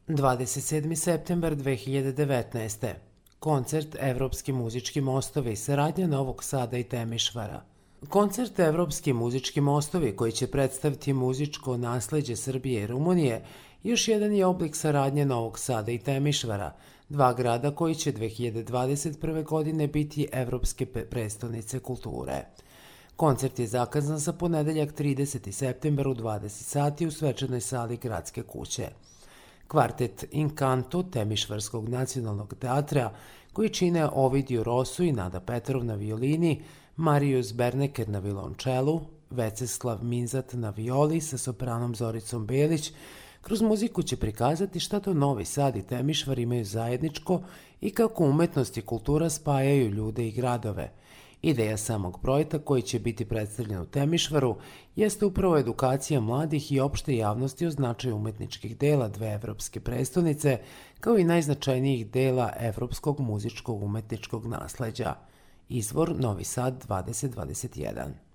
27. septembar 2019. Koncert Evropski muzički mostovi i saradnja Novog Sada i Temišvara. Koncert Evropski muzički mostovi koji će predstaviti muzičko nasleđe Srbije i Rumunije još jedan je oblik saradnje Novog Sada i Temišvara, dva grada koji će 2021. godine biti evropske prestonice kulture. Koncert je zakazan za ponedeljak 30. septembar u 20 sati u svečanoj sali Gradske kuće. Kvartet Inkanto Temišvarskog nacionalnog teatra, koji čine Ovidio Rosu i Nada Petrov na violini, Marijus Berneker na violončelu, Veceslav Minzat na violi sa sopranom Zoricom Belić, kroz muziku će prikazati šta to Novi Sad i Temišvar imaju zajedničko i kako umetnost i kultura spajaju ljude i gradove. Ideja samog projekta koji će biti predstavljen u Temišvaru jeste upravo edukacija mladih i opšte javnosti o značaju umetničkih dela dve evropske prestonice, kao i najznačajnijih dela evropskog muzičkog umetničkog nasleđa. Izvor Novi Sad 2021.